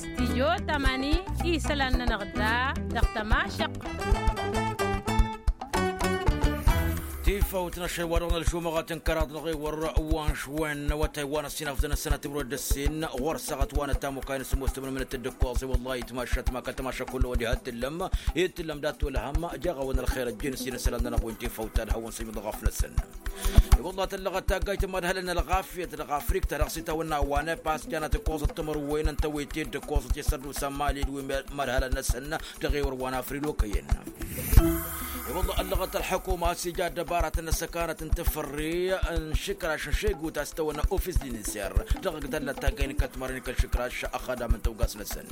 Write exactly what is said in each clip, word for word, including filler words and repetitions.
Stijo tămani isălan-nănăɣ da dăɣ-tămašăq. Tifawt n-ašăl wa dăɣ-nălžumăɣăt n-kăraḍ n-ɣewăr wa n-žwen n-awătay wa n-ăssinafḍăn ăssănat timrăw d-ăssin ɣur-săɣăt wa n-ătamukay n-sămoos tămănămănăt d-ǝkkoẓ i-wăllah itmašat ma kăl-tămašăk hullu wa diha t-tǝllăm. Itǝllăm dat-tolhăm jeɣ-awăn ălxer ăjjin s-inǝsălan-nănăɣ wi n-tifawt ta d-hawăn-sǝjmǝḍ ɣăf-năsăn. I-wăllah tăllăɣăt taggayt n-imadhălăn ălɣafyăt dăɣ-afrikt ta dăɣ-s itawănna wa n-epas janăt ǝkkoẓăt timǝrwen n-tewăyte d-ǝkkoẓăt i-sărdusa n-mali d-wi n-imadhălăn-năsăn dăɣ-ewăr wa n-afril okăyăn. I-wăllah ăllăɣăt ălḥăkuma a-s ija ăddăbaratăn n-ăssăkanăt n-tafărre n-išǝkraš n-išeggut a-s itawănna ofis d-inǝnser dăɣ-ăgg tăllăt taggay n-kăl-timărwen kăl-išǝkraš ăxxădam n-tawgas-năsăn.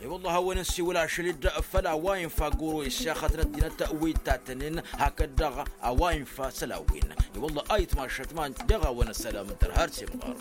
I-wăllah a-wen ǝnsiwǝl ašăl-dd făll-a-wa infa guru iššaxăt n-ăddinăt wi t-tattănen hakd-dăɣ a-wa infa săl-a-wen. I-wăllah ayǝtmašăt ma jeɣ-awăn ăssălam n-tărha ar s-imɣăr.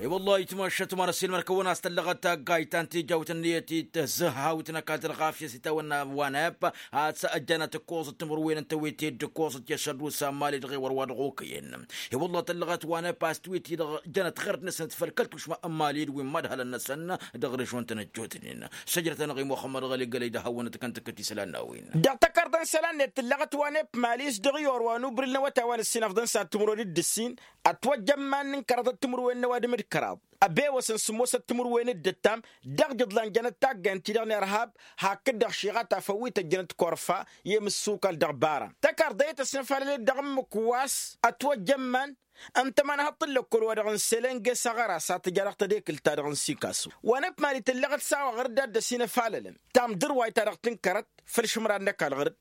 I-wăllah ayǝtmašăt ma n-ăssiilmăr-kăwăn a-s tăllăɣăt taggayt ta n-tijawt ǝnniyăt-i tǝzzǝhhawt n-ăkall tălɣafyăt s-itawănna wa n-ep a-s ăjjanăt ǝkkoẓăt timǝrwen n-tewăyte d-ǝkkoẓăt i-ăššăddusa n-mali dăɣ-ewăr wa dăɣ-okăyăn. I-wăllah tăllăɣăt wa n-epas tiwǝyt-i-dăɣ jănăt ɣărd-năsnăt făll-kăl-tušma n-mali d-wi n-imadhălăn-năsăn dăɣ-režion-tăn ăjjootnen. Săjdăt-anăɣ i-muxămmăd ɣăli gălăy d-ad-hawăn-ătkăn tǝkkǝt isălan n-a-wen. Dăɣ-takărḍa n-isălan-net tǝllăɣăt wa n-ep mali s-dăɣ-i orwa n-ubrǝl n-awătay wa n-ǝssinăfḍăn s-ad-timǝrwen d-ǝssin ătwăjjămman n-kăraḍăt timǝrwen n-ăwadǝm d-kăraḍ ăbewăsăn sǝmmosăt timǝrwen d-ǝttam dăɣ-jǝḍlan jănăt taggaynt-ti-dăɣ n-irhab hakd-dăɣ šiɣa tafăwwit ăjjănăt korfa i-imǝssukal dăɣ-baran. Tăkarḍăyăt ăsnăfalăl-dd dăɣ-ǝmmǝk wa s-ătwăjjămman ǝnta ămanhăḍ n-lăkkol-wa-dăɣ n-selenge s-aɣăras a tǝja dăɣ-tedekǝlt-ta-dăɣ n-sikasu. Wa n-ăpmali tǝllăɣăt s-a-wa ɣur-dd a dd-ăsinăfalălăn tamdǝrwayt-ta-dăɣ tǝnkărăt făll-išǝmran n-ăkall ɣur-dd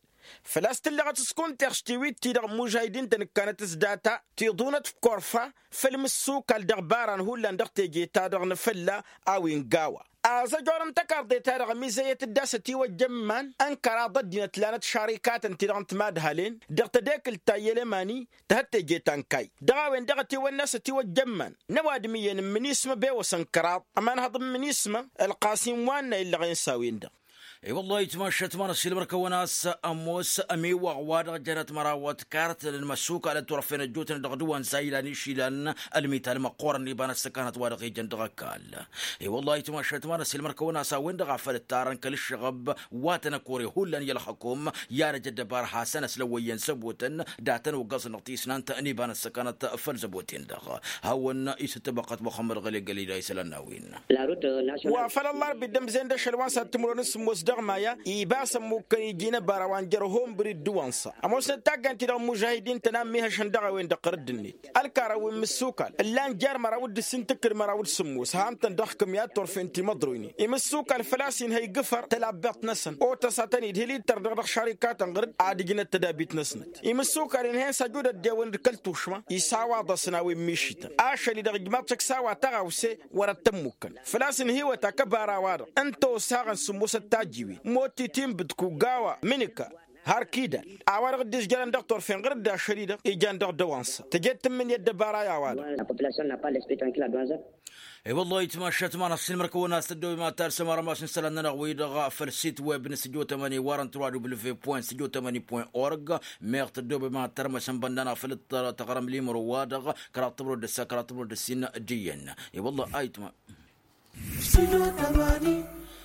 făl-a-s tǝllăɣăt s-kunteɣš tiwit-ti-dăɣ n-imužahidin-tăn ǝkkanăt s-data tiḍunăt f-korfa făll-imǝssukal dăɣ-baran hullan dăɣ-teje-ta-dăɣ n-afălla a-wen gawa. Azăjor n-tăkarḍe-ta-dăɣ ămizăyăt-dd a-s ătiwăjja iman n-kăraḍ ăddinăt lanăt šarikatăn-ti-dăɣ n-timadhalen dăɣ-tedekǝlt ta i-ălămani tăhăt teje ta n-kayy dăɣ-a-wen-dăɣ ătiwănna a-s ătiwăjja iman n-ăwadǝm iyyăn n-imǝnismă bewăsăn kăraḍ ămanhăḍ n-imǝnismă ălqasim wa n-a illăɣen s-a-wen-dăɣ. I-wăllah itmašăt ma n-ăssiilmăr-kăwăn a-s ămoos ămiwăɣ wa dăɣ-jănăt mărawăt kartăn n-imăssukalăn turăfen ăjjootnen dăɣ-dăwăn s-a ilan išilan ălmital măqqoorăn iba n-ăssăkanăt wa dăɣ-ijăn dăɣ-ăkall. I-wăllah itmašăt ma n-ăssiilmăr-kăwăn a-s a-wen-dăɣ a făl ǝttarăn kăl-ǝššăɣăb wa tăn-ăkore hullan i-ălxăkum i-ad-ăj ăddăbar hasăn-ăslăwăyyăn săbotăn datăn uggăẓăn dăɣ-tisnant n-iba n-ăssăkanăt făll-zăboten-dăɣ. Hawăn-isǝttăbăqqăt muxămmăd ɣăli gălida isălan n-a-wen. Wa făl ăllarbi dd-ămzen d-ašăl wa n-sad timǝrwen n-sǝmmos dăɣ-maya iba s-ămmukkăn iji n-ăbara wa n-jer-hombri d-iwănsa ămoosnăt taggant-i-dăɣ n-imužahidin-tăn a ămmihăšăn dăɣ-a-wen-dăɣ ɣărădd-net. Ălkarăn wi n-imǝssukal ǝllan jer-măraw d-ǝssin tǝkkǝd măraw d-sǝmmos han-tăn dăɣ-kǝmya d-turfen timăḍroynen imǝssukal făl-a-s inhăy gǝfăr tălabbeḍt-năsăn otăs a tăn-idhǝl ittăr dăɣ-dăɣ šarikatăn ɣǝr-dd ad-ǝjnăt tădabit-năsnăt. Imǝssukal inhăyăn s-ajud ăddewăn d-kăl-tušma isawaḍ-asăn a-wen mišităn ašăl-i-dăɣ ǝjmaḍ-t šăkk s-a-wa tăɣawse wăr-ăttămmukăn făl-a-s ǝnhǝywăt akăbara-wa-dăɣ ǝnta osaɣăn sǝmmosăt tajiwen motti tinbǝdku gawa mǝnǝka har kidal a-wa-dăɣ dd-izjărăn dăɣ-turfen ɣǝr-dd ašăl-i-dăɣ ijan dăɣ-dăwansa tăje-dd tǝmmǝnǝya ăddăbara i-a-wa-dăɣ. I-wăllah itmašat ma n-ăssiilmăr-kăwăn a-s tăddoobem ad-talsăm armas n-isălan-nănăɣ-wi-dăɣ făll-sit web n-studio tămani warăn tăruwa w point studio tămani point org. Meɣ tăddoobem ad-tărmăsăm bănna-năɣ făll-taɣrăm limro-wa-dăɣ kăraḍ tămrăw d-ǝssa kăraḍ tămrăw d-ǝssin d-iyyăn. I-wăllah ayǝtma.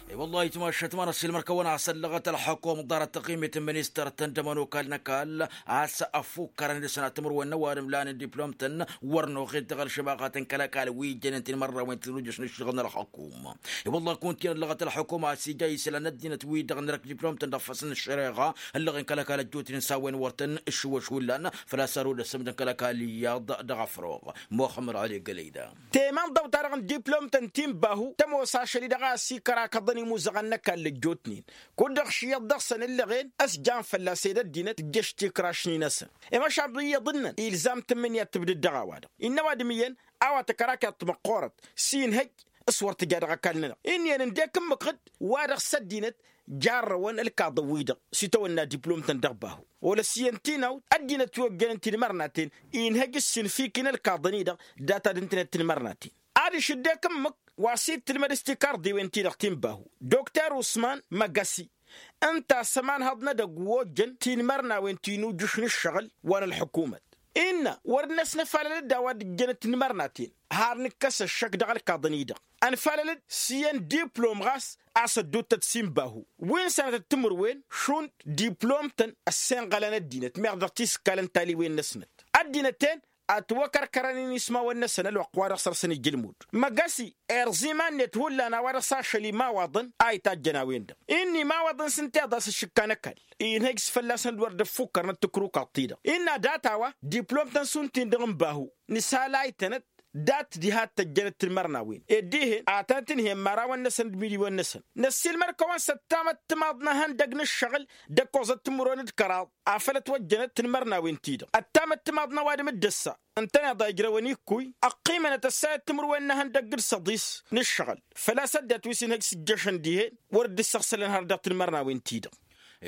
I-wăllah ayǝtma ăššăt ma n-ăssiilmăr-kăwăn a-s ăllăɣăt ălxukum ḍarăt taɣimit n-ministăr-tăn d-ămănokal n-ăkall a-s ăfukkărăn d-asănat timǝrwen n-ăwadǝm lanen diplom-tăn wăr noɣet dăɣ-ălšăbaɣăt n-kăl-ăkall wi ijjănen tinmărnawen tinujăš n-ǝššăɣǝl n-ălxukum. I-wăllah kunta-in ăllăɣăt ălxukum a-s ija isălan n-ăddinăt-wi-dăɣ n-erk diplom-tăn dăɣ-făs n-ăššăreɣa ăllăɣen kăl-ăkall ăjjootnen s-a-wen wăr tăn-ǝššǝwăš hullan făl-a-s ărud ăssămdăn kăl-ăkall iyyăḍ dăɣ-afroɣ. Muxămmăd ăli gălăyda. Temănḍăw-ta-dăɣ n-diplom-tăn ti n-bahu tămoos ašăl-i-dăɣ a ăsikărakăḍăn imuzăɣăn n-ăkall ăjjootnen kud-dăɣ šiyăḍ dăɣ-săn ǝllăɣen ăsjan fălla-s ed ăddinăt tǝjjăš tikrašni-năsăn. Imăšabǝyyăḍ-năn ilzam tǝmmǝnǝya d-tǝbdǝd dăɣ-a-wa-dăɣ innă ăwadǝm iyyăn a-wa tăkărakyaḍt măqqoorăt s-inhăj s-wăr tǝja dăɣ-ăkall-nănăɣ inn'-iyyăn ǝndek ǝmmǝk ɣǝd wa dăɣ-s ăddinăt jarrăwăn ǝlkaḍăn-wi-dăɣ s-itawănna diplom-tăn dăɣ-bahu. Wăla s-iyyăn tinawt ăddinăt wi ojjănen tinmărnaten inhăj s-infikin ălkaḍăn-i-dăɣ data d-ǝntănet tinmărnaten. Adiš ǝddek ǝmmǝk wa s-dd-tǝlmăd s-tikarḍiwen-ti-dăɣ ti n-bahu dokter usman măgăsi ǝnta a-s ămanhăḍ n-edăgg wi ojjăn tinmărnawen ti n-ujǝš n-ǝššăɣǝl wa n-ălḥukumăt. Innă wăr dd-năsnăfalăl-dd a-wa dd-ǝjjănăt tinmărnaten har nǝkkăs ăššăk dăɣ-ălkaḍăn-i-dăɣ. Ănfalăl-dd s-iyyăn diplom ɣas a-s ădduuttăt s-inbahu wi n-sănătăt timǝrwen šund diplom-tăn ăssenɣălăn ăddinăt meɣ dăɣ-tisǝkkalăn taliwen-năsnăt. Ăddinăt-en ătwăkărkărăn inismawăn-năsăn ălwăqq wa dăɣ-săr-săn ija ălmud. Măgăsi irẓ iman-net hullan a-wa dăɣ-s ašăl imawaḍăn a itajjăn a-wen-dăɣ. Innă imawaḍăn s-ǝnta iḍas ǝššǝkka n-ăkall inhăjj s-fălla-săn d-wăr dd-ăffukkărnăt tǝkrukăḍt-i-dăɣ. Innă dat-a-wa diplom-tăn šund-tin-dăɣ n-bahu nǝsalaytănăt dat diha t-ăjjănăt tinmărnawen ed dihen ad-tănăt-ǝnhǝyăn imărawăn-năsăn d-imidiwăn-năsăn. Năssiilmăd-kăwăn s-ăttamăt timaḍ n-ehăndăg n-ǝššăɣǝl d-ăkkoẓăt timǝrwen d-kăraḍ afăl ătwăjjănăt tinmărnawen-ti-dăɣ. Ăttamăt timaḍ n-ăwadǝm d-ăssa ǝntăneḍ a ijrăwăn ikkăy ăqqimănăt ăssayăt timǝrwen n-ehăndăg d-săḍis n-ǝššăɣǝl făl-a-s ăddinăt wi s-inhăj s-ǝjjăšăn dihen wăr dd-ǝssăɣsălăn har dăɣ-tinmărnawen-ti-dăɣ.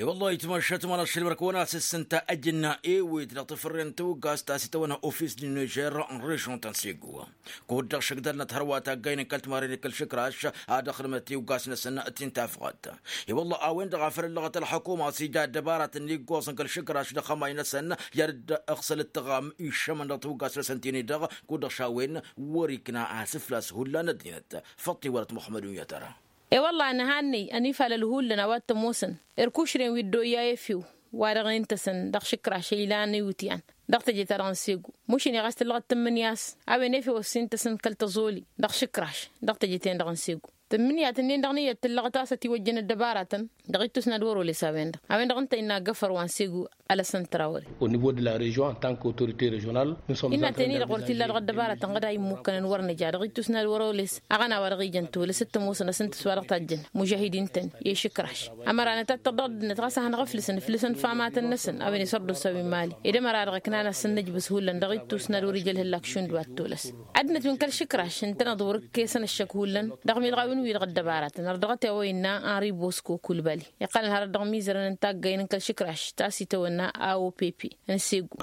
E-wălla-hi tǝmašat ma n-ašăl mărkăwăn a-s ǝssǝnta ăjǝnna ewet dăɣ-tafărren tawǝgast ta s-itawănna ofis din nižer n-režon ta n-segu. Kud-dăɣ šăgdălnăt hărwa taggaynen kăl-timarren d-kăl-išǝkraš ad-ăxdǝmnăt tiwǝgast-năsăn ti n-tafɣat. E-wălla a-wen-dăɣ a făl ǝllăɣăt ălxukuma s-ija ăddăbaratăn n-iggoẓăn kăl-išǝkraš dăɣ-xămay-năsăn i-ad-dd-ăɣsăl ǝttăɣam iššămăn dăɣ-tiwǝgast-năsăn tini-dăɣ. Kud-dăɣ šawen wăr-ikna asǝflas hullan ăddinăt. Făṭṭi wălăt muxămmăd unyătăra. E-wălla-hi nǝhannăy ănifalăl hullan a-wa t-ămoosăn irkušren wi dd-oyya efew wa dăɣ-en tăsăn dăɣ-išǝkraš ilan iwǝtyan dăɣ-teje-ta-dăɣ n-segu. Mušǝne ɣas tǝllăɣăt tǝmmǝnǝya a-s a-wen efew ăssin tăsăn kăl-tăẓoli dăɣ-išǝkraš dăɣ-teje-ten-dăɣ n-segu. Tǝmmǝnǝya-tǝnnin-dăɣ n-iyyăt tǝllăɣăt a-s ătiwăjjăn ăddăbaratăn dăɣ-ittus n-ad-wăr-oles a-wen-dăɣ. A-wen-dăɣ ǝnta innă găfăr wa n-segu. Alăsăn tărawăre. Au nivo de la režon en tant kăwtorite režional. Innă tăn-i-dăɣ wăr t-illa dăɣ-ăddăbaratăn ɣǝd a immukăn n-wăr nǝja dăɣ-ittus n-ad-wăr oles aɣăna wa dăɣ-ijăn tolăs t-ămoosăn asǝntǝs wa dăɣ-tajjăn mužahidin-tăn i-išǝkraš. Ămăra nǝtattăr dăɣ-ăddinăt ɣas ad-hanăɣ-ǝflǝsăn ǝflǝsăn famatăn-năsăn a-wen isărdusa wi n-mali ed ămăra-dăɣ ǝknan asǝnnǝjbǝs hullan dăɣ-ittus n-ad-wăr-ija ălhǝllak šund wa t-tolăs. Ăddinăt wi n-kăl-išǝkraš ǝntăneḍ wăr-ǝkkesăn ăššăk hullan dăɣ-miḍɣawen-wi-dăɣ ăddăbaratăn ărdăɣăt i-a-wa innă anribos kokulbali iqqălăn hărăt dăɣ-imizărăn n-taggăyăn n-kăl-išǝkraš ta s-itawănna a o p p n-segu.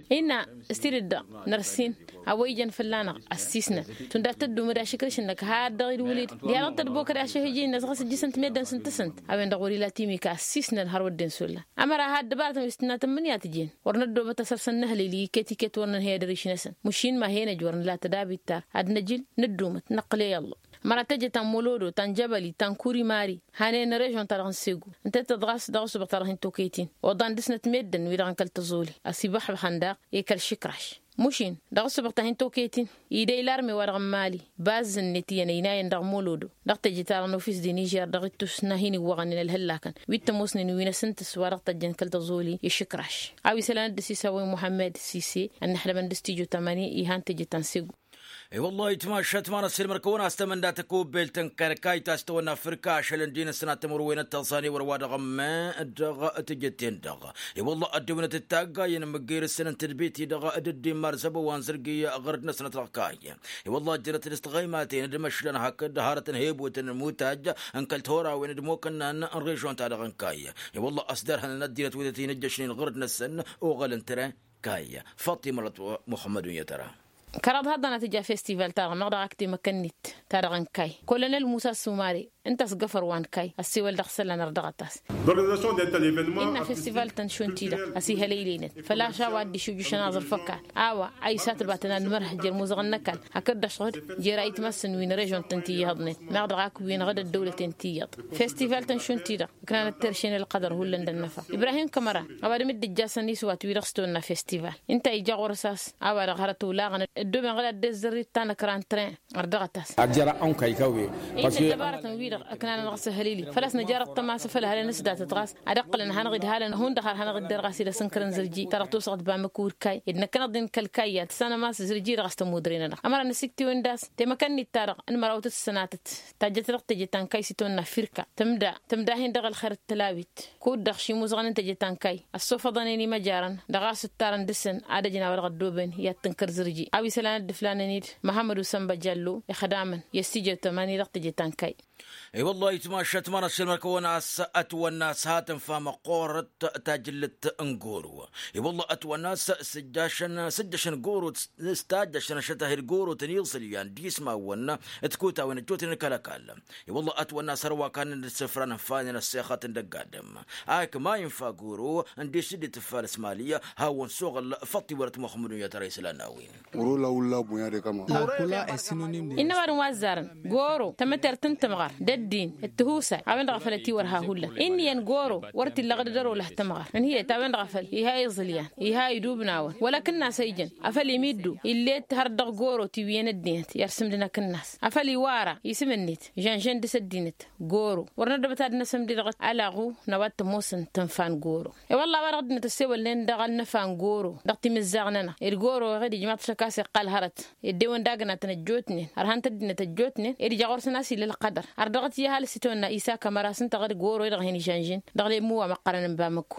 Innă s-tidǝt-dăɣ năr-sin a-wa ijăn fălla-năɣ ăssisnăn šund ad-tăddumăd ašǝkrǝš-năk had-dăɣ-dd-wǝlǝd diha dăɣ-tădbokăd ašăhǝj-i-năsnăɣ a-s ǝjjǝsăn timedden s-ǝntăsăn. A-wen-dăɣ wăr-ila timika ăssisnăn har wădden s-olla. Ămăra had-dăbaratăn wi s-tǝnna tǝmmǝnǝya tǝjen wăr năddoobăt asăr-săn nǝhǝlǝy-li iket-iket wăr nănhăy ad-ărǝš-năsăn. Măšin ma he-năj wăr nǝla tădabit ta ad-năjǝl nǝddumăt năqqǝl i-ăllah. Ămăra tăjăt ta n-molodo ta n-jăbăli ta n-kuri mari hanen n-režon-ta-dăɣ n-segu. Ǝnta tăḍɣas dăɣ-ăssubăɣ ta dăɣ-hin-toketin oḍan dăɣ-snăt medden-wi-dăɣ n-kăl-tăẓoli ăsibăxbăxăn daɣ i-kăl-išǝkraš. Mušin dăɣ-ăssubăɣ ta hin-toketin idăy larme-wa-dăɣ n-mali bazz-net iyyăn ăynayăn dăɣ-molodo dăɣ-teje-ta-dăɣ n-ofis de nižer dăɣ-ittus n-ad-hin-iwwăɣănen ălhăllakăn wi t-ămoosnen wi n-asǝntǝs wa dăɣ-tăjjăn kăl-tăẓoli i-išǝkraš. A-wa isălan dd-ăsisawăy muḥămmed sise ănnăxdămăn d-stijo tamani ihan teje ta n-segu. E-wăllah itmašat ma n-ăssiilmăr-kăwăn a-s tamănda tăkubbelt n-kăl-kayt a-s tăwănna fǝrka ašăl ǝndin ǝssănat timǝrwen d-tăẓẓan i-wăr wa dăɣ-ămmen dăɣ-tijǝtten-dăɣ. E-wăllah ăddewănăt d-taggayăn mǝggir ǝssǝnăn tadbit-i-dăɣ d-ǝddin mar zăbăwa n-zărgi ɣur-dd-năsnăt dăɣ-kayy. E-wăllah ăjjănăt-dd s-tiɣăymaten d-imăšlan hakd hărăt n-hebutăn n-imutaj n-kăl-torawen d-imokănna n-režon-ta-dăɣ n-kayy. E-wăllah ăsdărhănăn ăddinăt wi tăt-in-ǝjjăšnen ɣur-dd-năsăn oɣăl n-tren kayy. Faṭimălăt muḥămmăd unyăt ăra. Kăraḍ haḍăn ad-tǝja festival-ta-dăɣ meɣ dăɣ-ak temăkănnit ta dăɣ-n kayy kolonel musa sumare. Ǝnta a-s găfăr wa n-kayy ăssewăl dăɣ-isălan ărdăɣăt-as. Innă festival-tăn šund-ti-dăɣ ăsihălăylenăt făl-a-s a-wa dd-išujǝšăn aẓrǝf ăkall a-wa a isatbatăn ad-nǝmărhǝj jer-imuzăɣăn n-ăkall hakd-dăɣ šăɣǝd jer-ayǝtmăssăn wi n-režon-tăn ti ihăḍnen meɣ dăɣ-ak-wen ɣǝd ăddăwlăten ti iyyăḍ. Festival-tăn šund-ti-dăɣ ǝknanăt terše n-ălqădăr hullan d-ănnăfa ibrahim kămăra a-wa dăm-dd-ǝjjasăn iswat-wi-dăɣ s-tăwănna festival ǝnta a ija ɣur-s a-s a-wa-dăɣ hărăt olaɣăn ăddooben ɣǝd ad-dd-ăzzărrit ta n-ăkran tren. Ărdăɣăt-as. Ad-jăra ănkăy kăwwe. Innă ăddăbarătăn-wi-dăɣ ăknanăn ɣas ăhălili făl-a-s nǝjarăt tămasă făll-hălăn s-datăt ɣas ad-ǝqqǝlăn ad-hanăɣ-dd-halăn hundăɣ har hanăɣ-dd-erɣ a-s ila s-ǝnkărăn zǝrji ta dăɣ-tosăɣt bamǝk urkay ed năkkăneḍ-in kăl-kayy ad-tǝssanăm a-s zǝrji-dăɣ a-s tămudren-anăɣ ămăra n-asiktiwen d-a-s temăkănnit-ta-dăɣ n-mărawtăt s-sănatăt. Tajjăt dăɣ-teje ta n-kayy s-itawănna firka tǝmda tǝmda-hin-dăɣ ălxer d-tălawit. Kud-dăɣ šimuzăɣăn n-teje ta n-kayy ăssofăḍăn-en imăjarăn dăɣ-a-s ǝttarăn dăɣ-săn ad-ăjǝn a-wa dăɣ-ăddooben i-ad-tǝnkăr zǝrji a-wa isălan dd-ǝflanăn-dd. Măhămmăd usănba jallo. ixdamăn i-ăssijăt ămani dăɣ-teje tankay. I-wălla itmašat mănăsšel mărkăwăn-as ătwănna s-hatăn famăqqorăt tajǝllăt n-goro. I-wălla ătwănna s-sǝjjašăn sǝjjăšăn goro s-tajjăšăn ašătahil goro tăn-iẓǝlyan d-ismawăn d-kutawăn ăjjootnen kăl-ăkall. I-wălla ătwănna s-hărwa kannăn d-isǝfran ănfanen ăssexăt n-dăgg-adǝm ak ma infa goro n-disǝddet ăffalăs mali. Hawăn-suɣǝl făṭṭi wăr-ătmăxmǝdun i-ad-tăra isălan n-a-wen. Oro la ulla bunya de kama. Innă ăwadǝm wa ăzzarăn goro tămătert n-tǝmɣăr d-ăddin d-tihusay a-wen-dăɣ a făl ătiwărha hullan. Inn'-iyyăn goro wăr t-illa ɣǝdăd ărola tǝmɣăr ǝnhǝyăt a-wen-dăɣ a făl iha iẓǝlyan iha idubnawăn wăla akǝnnas a ijăn a făl imiddu. Illet hărăt dăɣ-goro tiwǝyăn ăddinăt i-arsǝmdǝn akǝnnas a făl iwara isǝm-net žănžăn dăɣ-s ăddinăt. Goro wăr năddăbăt ad-năsǝmdǝd ɣǝt alaɣu n-a-wa t-ămoosăn tǝnfa n-goro. I-wălla a-wa dăɣ-ăddinăt ăssewălnen dăɣ-ănnăfa n-goro dăɣ-timǝzzaɣ-nănăɣ d-goro iɣǝd ijmaḍ-t ašăk a-s iqqal hărăt ed dewăn d-agnatăn ăjjootnen ărhan-t ăddinăt ăjjootnen ed ija ɣur-săn a-s illa ălqădăr. Ărdăɣăt i-ăhalǝs itawănna isaka măra s-ǝnta ɣǝd goro-i-dăɣ hin-ižănžin dăɣ-lemmu wa măqqărăn n-bamăkko.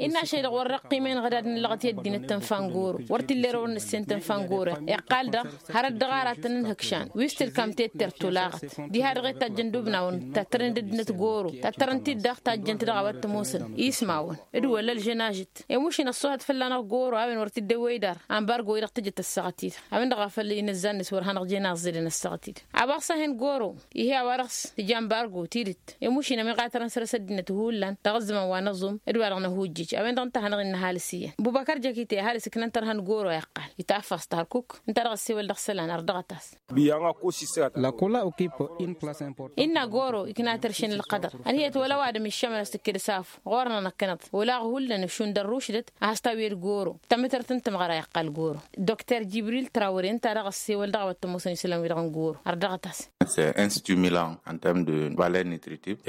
Innă ašăl-i-dăɣ wăr răqqim i-inɣǝdad n-ǝllăɣăt i-ăddinăt tănfa n-goro. Wăr t-illa erăwăn n-ǝssen tănfa n-goro iqqal-dăɣ hărăt dăɣ-aratăn n-ihǝkšan wi s-tǝlkam tettert tulaɣăt diha-dăɣ i-tajjăn d-ubnawăn tattărăn d-ăddinăt goro tattărăn-t-dd-dăɣ tajjăn-t dăɣ-a-wa t-ămoosăn ismawăn d-wăla ălžănažăt. Emušin ăṣṣuhăt fălla-năɣ goro a-wen wăr t-dd-ewwey dar ambargo-i-dăɣ tǝjăt ăssaɣăt-i-dăɣ a-wen-dăɣ a făl inǝzzan-net wăr hanăɣ-jen aẓẓilăn ăssaɣăt-i-dăɣ. Abaɣ s-ahen goro ihi a-wa-dăɣ s-tǝja ambargo tidǝt emušin ămiɣatărăn săr-s ăddinăt hullan dăɣ-ăzzăman wa n-aẓum d-wa-dăɣ n-ahujjij a-wen-dăɣ ǝnta a hanăɣ-innă ăhalǝs iyyăn bubăkăr jăkite ăhalǝs ǝknăn tărha n-goro a iqqal itaffăẓ tărkuk ǝnta dăɣ-ăssewăl dăɣ-isălan ărdăɣăt-as. Innă goro ăkip in-plas important. Innă goro ikna tăršen ălqădăr ănhăyăt wăla ăwadǝm iššămăn a-s tǝkked s-afu ɣur-nănăɣ kănăḍ olaɣ hullan ǝššun d-ărrušdăt a has-tawǝyăd goro. Tămătărt n-tǝmɣăra iqqal goro. Dr jibril trawăre ǝnta daɣ ăssewăl dăɣ-a-wa t-ămoosăn isălan-wi-dăɣ n-goro ărdăɣăt-as. S-e instimulan en term de valeur nutritive.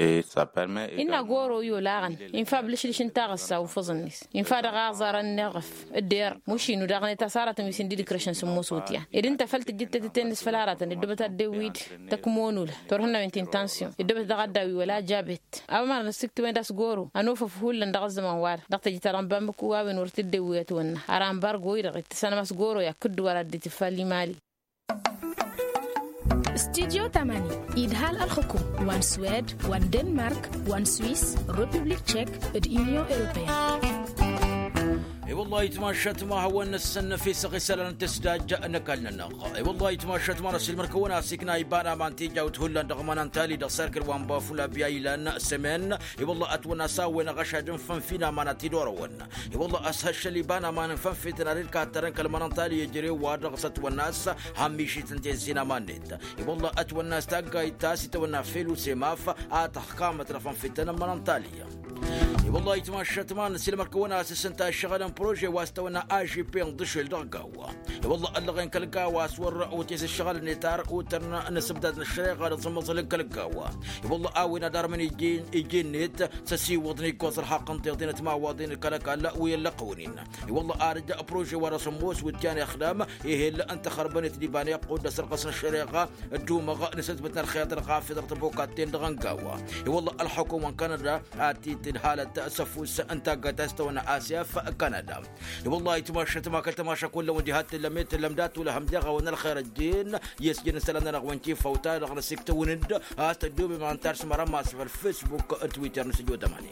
Innă goro i-olaɣăn infa ăblǝšlǝš n-taɣǝssa ufǝẓăn-net infa dăɣ-aẓarăn n-eɣăf d-err mušinu daɣ n-etas aratăn wi s-indidǝkrăšăn s-ămoos wǝtyan ed ǝnta făl tǝjjǝd tetăte-net făll-aratăn ǝddubăt ad-dd-ewwid tăkmonulăn turhǝnnawen ti n-tansiyon ǝddubăt daɣ ad-dd-awi wăla jabet. A-wa mărăn ăssiktǝwen d-a-s goro ănofăf hullan dăɣ-ăzzăman-wa-dăɣ dăɣ-teje-ta-dăɣ n-bamăkku a-wen wăr t-dd-ewwey ătwănna ar ambargo-i-dăɣ itǝssanăm a-s goro i-akkǝddu wăr addit ifalli mali. Studyo tamani idhal ălxukum wa n-swed wa n-denmark wa n-swiss, republik tchek, d-union europeen. I-wăllah itmašat ma hawăn-năssăn fi săɣisălăn tǝsdaj n-ăkall-nănăɣ. I-wăllah itmašat ma n-ăsilmăr-kăwăn-as ikna iba n-aman tijawt hullan dăɣ-mănantali dăɣ-serkǝl wa n-bafula biyaylan semen. I-wăllah ătwănna s-a-wen ăɣăšad n-fănfin aman ad-t-dd-orăwăn. I-wăllah ăshăššăl iba n-aman n-fănfităn ad-dd-kattărăn kăl-mănantali ejărew-wa-dăɣ s-ătwănna a-s hămmišităn tezzi n-aman-net. I-wăllah ătwănna s-taggayt ta s-itwănna fel usemaf a tăxkamăt n-afănfităn n-mănantali. I-wăllah itmašat ma n-silmăr-kăwăn-as s-ǝnta ăššăɣǝl n-prože wa s-tăwănna ažip n-dăšel dăɣ-gawa. I-wăllah ăllăɣen kăl-gawa a-s wăr otez ǝššăɣǝl-net ar otăn n-asǝbdad n-ăššăreɣa dăɣ-sămmăẓăl n-kăl-gawa. I-wăllah a-wen ad-armăn iji-net s-ăsiwăḍ n-iggoẓ ălxaqq n-tiḍinăt imawaḍen kăl-ăkall wi ăllăqwǝn-in. I-wăllah ad-ăj prože wa dăɣ-sămmos wǝtyan ixdam ehel n-tăxărbănet d-iba n-iqqud d-asărɣăs n-ăššăreɣa. Ăddumăɣ n-asǝtbǝt n-ălxeḍ ălɣafyăt dăɣ-tăbokatten dăɣ-ăngawa. I-wăllah ălxukum wa n-kanăda ad-t-dd-halăt s-ăfuss n-taggayt a-s tăwănna asef kanăda. I-wăllah itmašat ma kăl-tămaša kullăn wa n-diha t-tǝllăm i-tǝllăm dat-wăla hăm deɣ a-wen ălxer ăjjeen i-ăsjǝn isălan-nănăɣ wa n-tifaw-ta-dăɣ n-asǝktăwăn-dd a-s tăddoobem ad-tars măra ma s-făl facebook d-twitter n-sǝjo tămani.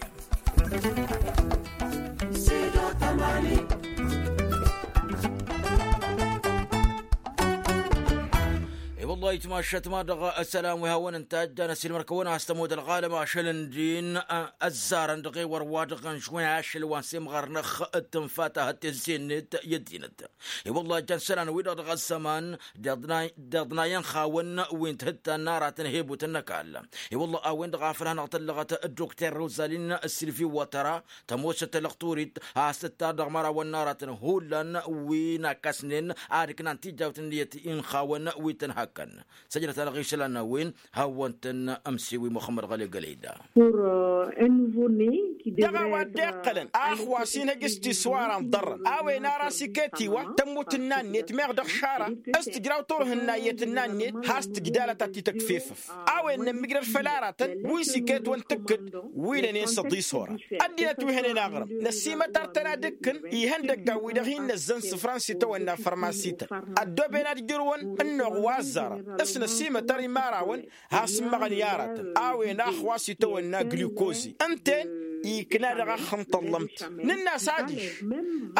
I-wăllah itmašat ma dăɣ-isălan wi hawăn-ǝntajjan ăsilmăr-kăwăn-as tămud ălɣalăm ašăl ǝndin ăzzarăn dăɣ-ewăr wa dăɣ-ănžwen ašăl wa n-semɣărnăx d-tǝnfa ta hăt tezzi-net i-ăddinăt. I-wăllah jan isălan-wi-dăɣ dăɣ-ăzzăman d-iḍnay n-xawăn wi n-tihǝttan n-aratăn hebutăn n-ăkall. I-wăllah a-wen-dăɣ a făl hanăɣ-tăllăɣăt dd-dukter rozalin silvi watăra tămoosăt tălăɣturit a-s tǝttar dăɣ-mărawăn n-aratăn hullan wi n-akkăsnen ad-ǝknan tijawt n-iyyăt n-xawăn wi tăn-hakkăn. Săjdăt-a-dăɣ išălan n-a-wen hawăn-tăn ămsiwi muxămmăd ɣăli gălăyda. Dăɣ-a-wa dd-iqqălăn a ăxwas inhăj s-tiswara n-iḍarrăn a-wen ara s-iket-iwa tămmut n-inannet meɣ dăɣ-išara s-tǝjraw turhǝnna iyyăt n-inannet has-tǝjdalăt ad-t-tăkf efăf. A-wen nămmǝjrăd făll-aratăn wi s-iket-wăn tǝkkǝd wi lănen s-ăḍis oran. Ăddinăt wi hănen aɣrǝm năsimătar-tăn ad-ǝkkǝn ihăndăggan-wi-dăɣ hin-năzzăn isǝfran s-itawănna fărmasităn ăddooben ad-ǝjrǝwăn ǝnnuɣ wa ăzzarăn s-năsimătăr imărawăn has-ǝmmăɣăn i-aratăn a-wen a ăxwas itawănna glikozi ǝnta-en ikna dăɣ-axǝm n-tăllămt. Nǝnn'-as adiš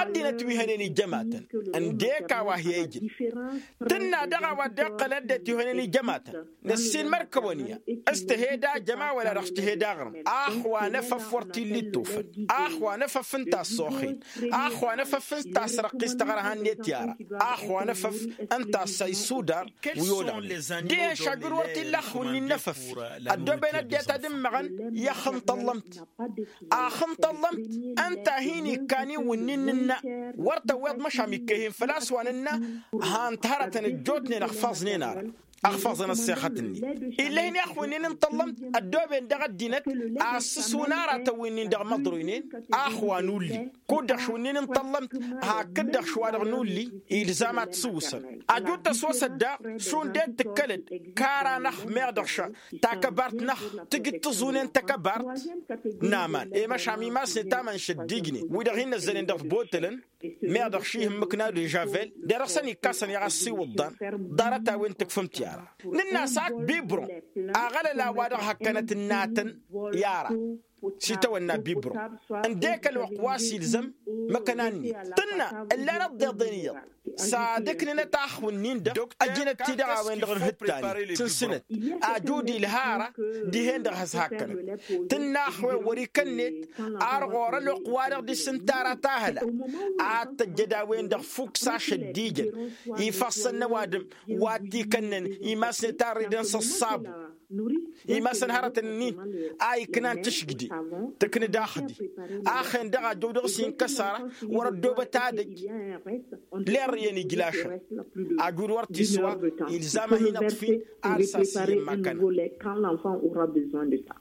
ăddinăt wi hănen ijămatăn ǝndek a-wa hi-ijǝn tǝnna dăɣ-a-wa dd-iqqălăn ăddinăt wi hănen ijămatăn năssiinmăr-kăwăn-i-a s-tăheda jăma wăla dăɣ-s tăheda aɣrǝm. Ax wa n-efăf wăr t-illa ittufăn. Ax wa n-efăf ǝnta a ăṣṣoxen. Ax wa n-efăf ǝnta a ăsrăqqis taɣărha-net i-ara. Ax wa n-efăf ǝnta a ăssay sudar wi olăɣnen. Dihen šajur wăr t-illa axǝwǝnnin n-efăf. Ăddooben ăddinăt ad-ǝmmăɣăn i-axǝm n-tăllămt. Axǝm n-tăllămt ǝnta a hin-ikkan iwǝnnin nǝnna. Wăr tăwweḍ măšan ikkehin făl-a-s wa nǝnna han-t hărătăn ăjjootnen ăxfaẓnen ara. Ăxfaẓăn ăṣṣexăt-net. Ill'-e-hin i-axǝwǝnnin n-tăllămt ăddooben dăɣ-ăddinăt a ăssǝswǝn aratăn wi-nin dăɣ-imăḍruynen. Ax wa n-ulli kud-dăɣ šwǝnnin n-tăllămt hakd-dăɣ šwa-dăɣ n-ulli. Ilzam ad-t-sǝwwǝsăn ajut tăswăsăt daɣ šund ed tǝkkălăd. Kara-năɣ meɣ dăɣ-ša takăbart-năɣ tǝjǝd tǝẓunen takăbart n-aman i-măšan imasnen tamăn šăddijnen wi-dăɣ hin-năzzănen dăɣ-tibotălăn. Meɣ dăɣ-ši ihǝmmǝk n-ad-dežavel de-dăɣ săn ikkasăn i-ɣas s-iwǝḍḍan. Ḍarăt-a-wen tǝkfǝmt i-ara nǝnn'-as ak bibron aɣălăl a-wa-dăɣ hăkkănăt ǝnnatăn i-ara. S-itawănna bibron ǝndek ălwăqq wa s-ilzăm măkăna-net tǝnna ǝllan ăḍḍeḍen iyyăḍ. S-ad-ǝknǝnăt axwǝnnin-dăɣ ăjǝnăt-t-i-dăɣ a-wen-dăɣ n-hǝttan-i tǝnsǝnăt ajud ilha ara. Dihen-dăɣ has-hakkănăt tǝnna axwe wăr-ikăn-net ar ɣur-ălwăqq-wa-dăɣ dăr-s ǝnta ara tahăla ad-tăjjăd a-wen-dăɣ fukk s-ašăddijăn ifassăn n-ăwadǝm wa t-ikănnăn imasnet a ărridăn s-ăṣṣabu. Imasăn hărătăn-nin a iknan tǝšjǝde tǝknǝd axǝdi. Axen-dăɣ ajăw dăɣ-s inkăs ara wăr-ăddoobăt ad-ăj lerrǝyăn ijlašăn. Ajud wăr t-iswa ilzam ad-hin-ăṭṭfin ar s-asǝyyăn ma kăna.